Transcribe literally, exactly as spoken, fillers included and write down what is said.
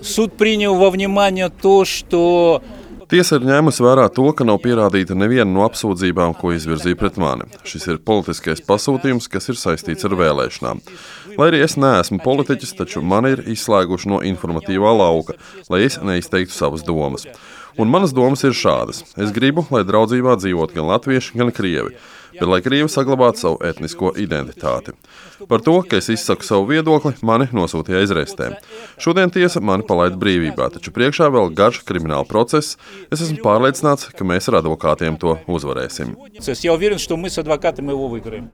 Суд принял во внимание то, что Tiesa ir ņēmusi vērā to, ka nav pierādīta neviena no apsūdzībām, ko izvirzīja pret mani. Šis ir politiskais pasūtījums, kas ir saistīts ar vēlēšanām. Lai arī es neesmu politiķis, taču mani ir izslēguši no informatīvā lauka, lai es neizteiktu savas domas. Un manas domas ir šādas. Es gribu, lai draudzībā dzīvot gan latvieši, gan krievi, bet lai krievi saglabātu savu etnisko identitāti. Par to, ka es izsaku savu viedokli, mani nosūtīja aizrestēm. Šodien tiesa mani palaida brīvībā, taču priekšā vēl garš krimināla process. Es esmu pārliecināts, ka mēs ar advokātiem to uzvarēsim. я уверен, что мы с адвокатом его выиграем.